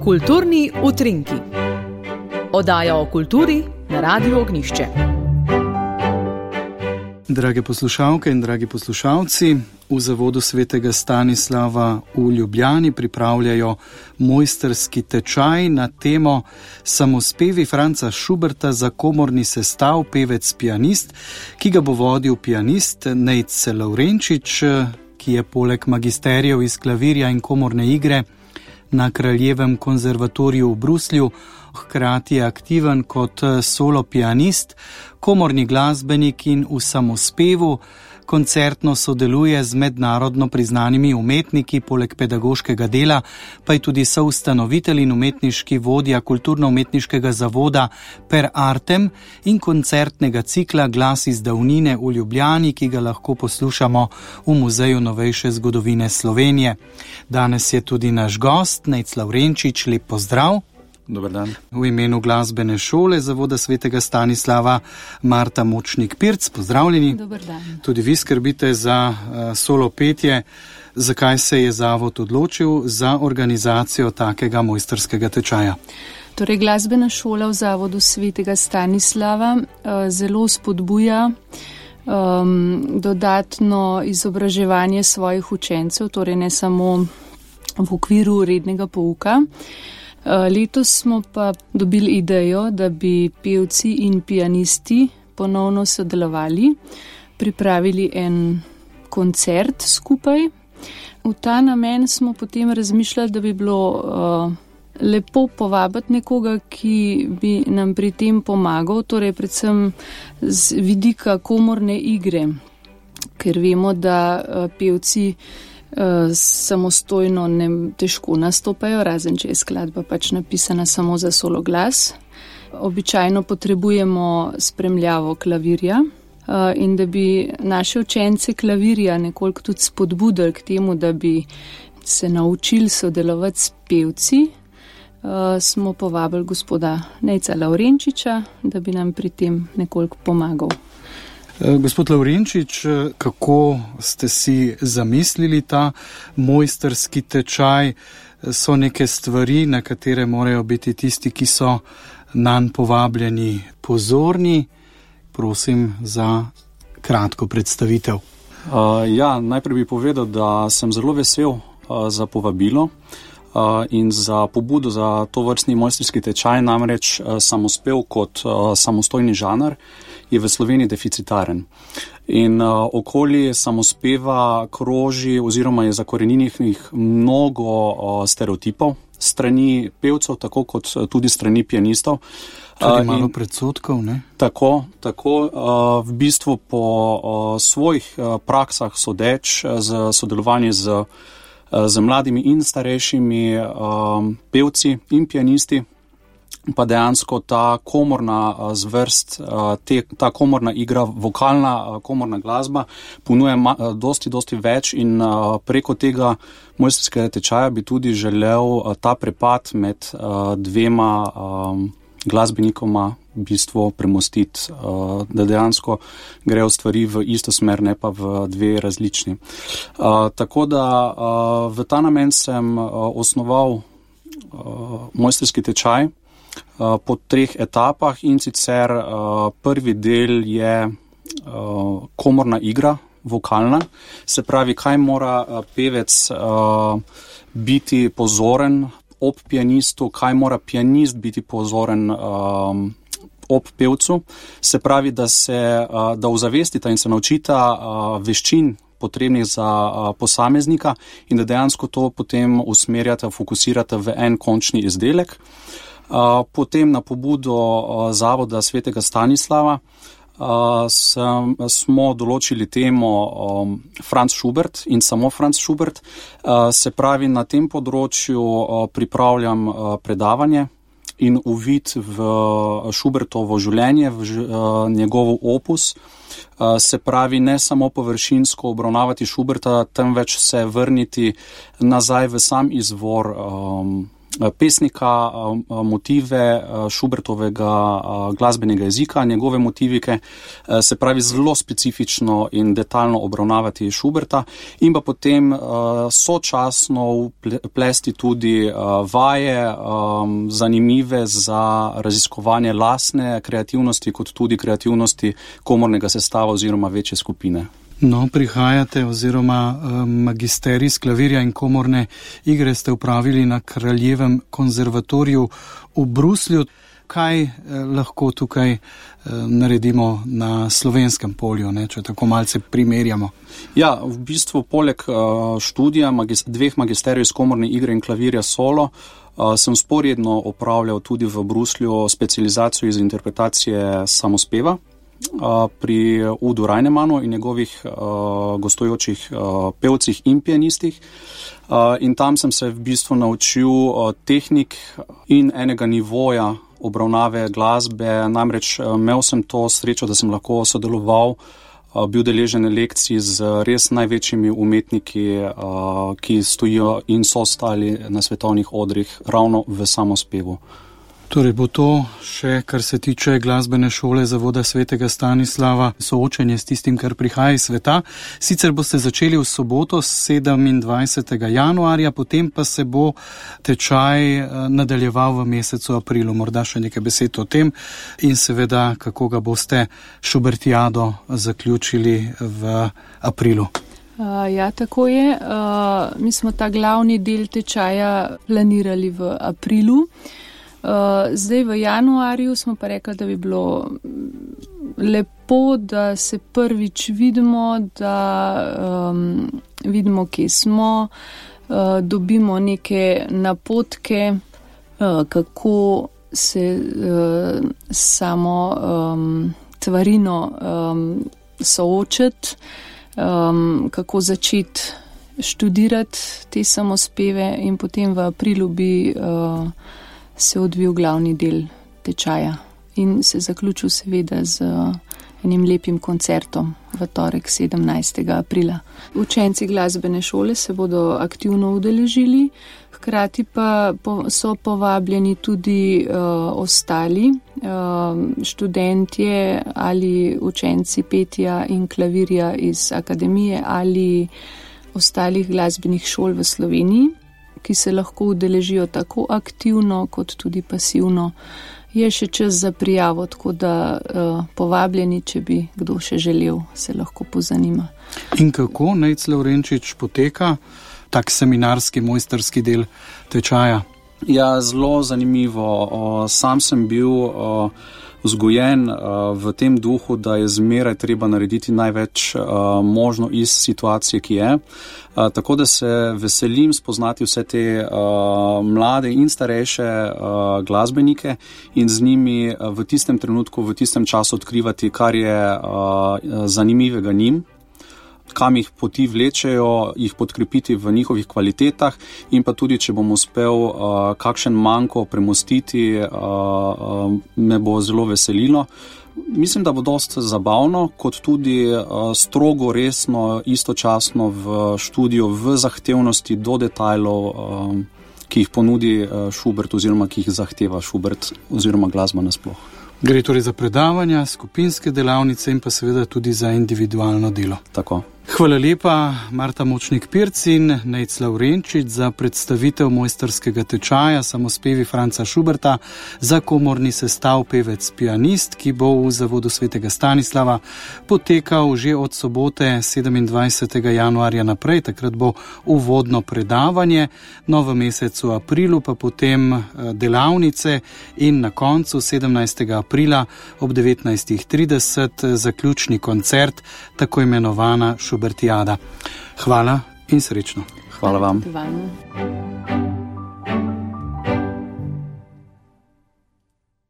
Kulturni utrinki. Oddaja o kulturi na Radiu Ognjišče. Drage poslušalke in dragi poslušalci, v Zavodu svetega Stanislava v Ljubljani pripravljajo mojstrski tečaj na temo Samospevi Franca Schuberta za komorni sestav, pevec, pianist, ki ga bo vodil pianist Nejc Lavrenčič, ki je poleg magisterijev iz klavirja in komorne igre na Kraljevem konzervatoriju v Bruslju hkrati aktiven kot solo pianist, komorni glasbenik in v samospevu. Koncertno sodeluje z mednarodno priznanimi umetniki, poleg pedagoškega dela pa je tudi soustanovitelj in umetniški vodja kulturno-umetniškega zavoda Per Artem in koncertnega cikla Glas iz davnine v Ljubljani, ki ga lahko poslušamo v Muzeju novejše zgodovine Slovenije. Danes je tudi naš gost, Nejc Lavrenčič, lep pozdrav. Dober dan. V imenu glasbene šole Zavoda svetega Stanislava Marta Močnik-Pirc, pozdravljeni. Dober dan. Tudi vi skrbite za solo petje. Zakaj se je zavod odločil za organizacijo takega mojstrskega tečaja? Torej, glasbena šola v Zavodu svetega Stanislava zelo spodbuja dodatno izobraževanje svojih učencev, torej ne samo v okviru rednega pouka. Letos smo pa dobili idejo, da bi pevci in pianisti ponovno sodelovali, pripravili en koncert skupaj. V ta namen smo potem razmišljali, da bi bilo lepo povabiti nekoga, ki bi nam pri tem pomagal, torej predvsem z vidika komorne igre, ker vemo, da pevci samostojno težko nastopajo, razen če je skladba pač napisana samo za solo glas. Običajno potrebujemo spremljavo klavirja in da bi naše učence klavirja nekoliko tudi spodbudili k temu, da bi se naučili sodelovati s pevci, smo povabili gospoda Nejca Lavrenčiča, da bi nam pri tem nekoliko pomagal. Gospod Lavrenčič, kako ste si zamislili ta mojstrski tečaj? So neke stvari, na katere morajo biti tisti, ki so nanj povabljeni, pozorni? Prosim za kratko predstavitev. Najprej bi povedal, da sem zelo vesel za povabilo in za pobudo za to vrstni mojstrski tečaj, namreč samospev kot samostojni žanr je v Sloveniji deficitaren. In okoli samospeva kroži oziroma je zakoreninjenih mnogo stereotipov strani pevcev, tako kot tudi strani pianistov. Tudi malo predsodkov, ne? Tako. V bistvu po svojih praksah sodeč z sodelovanjem z mladimi in starejšimi pevci in pianisti, pa dejansko ta komorna zvrst, ta komorna igra, vokalna komorna glasba ponuje dosti več in preko tega mojstrskega tečaja bi tudi želel ta prepad med dvema glasbenikoma v bistvu premostiti, da dejansko grejo stvari v isto smer, ne pa v dve različni. Tako da v ta namen sem osnoval mojstrski tečaj po 3 etapah, in sicer prvi del je komorna igra, vokalna, se pravi, kaj mora pevec biti pozoren ob pianistu, kaj mora pianist biti pozoren ob pevcu, se pravi, da ozavestita in se naučita veščin potrebnih za posameznika in da dejansko to potem usmerjata, fokusirata v en končni izdelek. Potem na pobudo Zavoda svetega Stanislava smo določili temo Franz Schubert in samo Franz Schubert. Se pravi, na tem področju pripravljam predavanje in uvid v Schubertovo življenje, v njegov opus. Se pravi, ne samo površinsko obravnavati Schuberta, temveč se vrniti nazaj v sam izvor pesnika, motive Schubertovega glasbenega jezika, njegove motivike, se pravi zelo specifično in detaljno obravnavati Schuberta in pa potem sočasno plesti tudi vaje zanimive za raziskovanje lastne kreativnosti kot tudi kreativnosti komornega sestava oziroma večje skupine. No, prihajate oziroma magisterij s klavirja in komorne igre ste upravili na Kraljevem konzervatoriju v Bruslju. Kaj lahko tukaj naredimo na slovenskem polju, ne, če tako malce primerjamo? Ja, v bistvu poleg študija dveh magisterijev iz komorne igre in klavirja solo sem sporedno opravljal tudi v Bruslju specializacijo iz interpretacije samospeva pri Udu Reinemanu in njegovih gostujočih pevcih in pianistih. In tam sem se v bistvu naučil tehnik in enega nivoja obravnave glasbe. Namreč imel sem to srečo, da sem lahko sodeloval, bil deležen lekcij z res največjimi umetniki, ki stojijo in so stali na svetovnih odrih ravno v samospevu. Torej bo to še, kar se tiče glasbene šole Zavoda svetega Stanislava, soočenje s tistim, kar prihaja iz sveta. Sicer boste začeli v soboto 27. januarja, potem pa se bo tečaj nadaljeval v mesecu aprilu. Morda še nekaj besed o tem in seveda, kako ga boste Schubertiado zaključili v aprilu. Ja, tako je. Mi smo ta glavni del tečaja planirali v aprilu. Zdaj v januarju smo pa rekli, da bi bilo lepo, da se prvič vidimo, da vidimo, kje smo, dobimo neke napotke, kako se samo tvarino soočiti, kako začeti študirati te samospeve in potem v aprilu bi se odvil glavni del tečaja in se zaključil seveda z enim lepim koncertom v torek 17. aprila. Učenci glasbene šole se bodo aktivno udeležili, hkrati pa so povabljeni tudi ostali študentje ali učenci petja in klavirja iz akademije ali ostalih glasbenih šol v Sloveniji, ki se lahko udeležijo tako aktivno kot tudi pasivno. Je še čas za prijavo, tako da povabljeni, če bi kdo še želel, se lahko pozanima. In kako, Nejc Lavrenčič, poteka tak seminarski, mojsterski del tečaja? Ja, zelo zanimivo. Sam sem bil vzgojen v tem duhu, da je zmeraj treba narediti največ možno iz situacije, ki je. Tako da se veselim spoznati vse te mlade in starejše glasbenike in z njimi v tistem trenutku, v tistem času odkrivati, kar je zanimivega njim, kam jih poti vlečejo, jih podkrepiti v njihovih kvalitetah in pa tudi, če bom uspel kakšen manko premostiti, me bo zelo veselilo. Mislim, da bo dosti zabavno, kot tudi strogo resno, istočasno v študiju, v zahtevnosti do detajlov, ki jih ponudi Schubert oziroma ki jih zahteva Schubert oziroma glasba nasploh. Gre torej za predavanja, skupinske delavnice in pa seveda tudi za individualno delo. Tako. Hvala lepa, Marta Močnik-Pirc in Nejc Lavrenčič, za predstavitev mojsterskega tečaja Samospevi Franca Schuberta za komorni sestav pevec pianist, ki bo v Zavodu svetega Stanislava potekal že od sobote 27. januarja naprej. Takrat bo uvodno predavanje, no v mesecu aprilu pa potem delavnice in na koncu 17. aprila ob 19.30 zaključni koncert, tako imenovana Schubertiada. Hvala in srečno. Hvala vam. Hvala.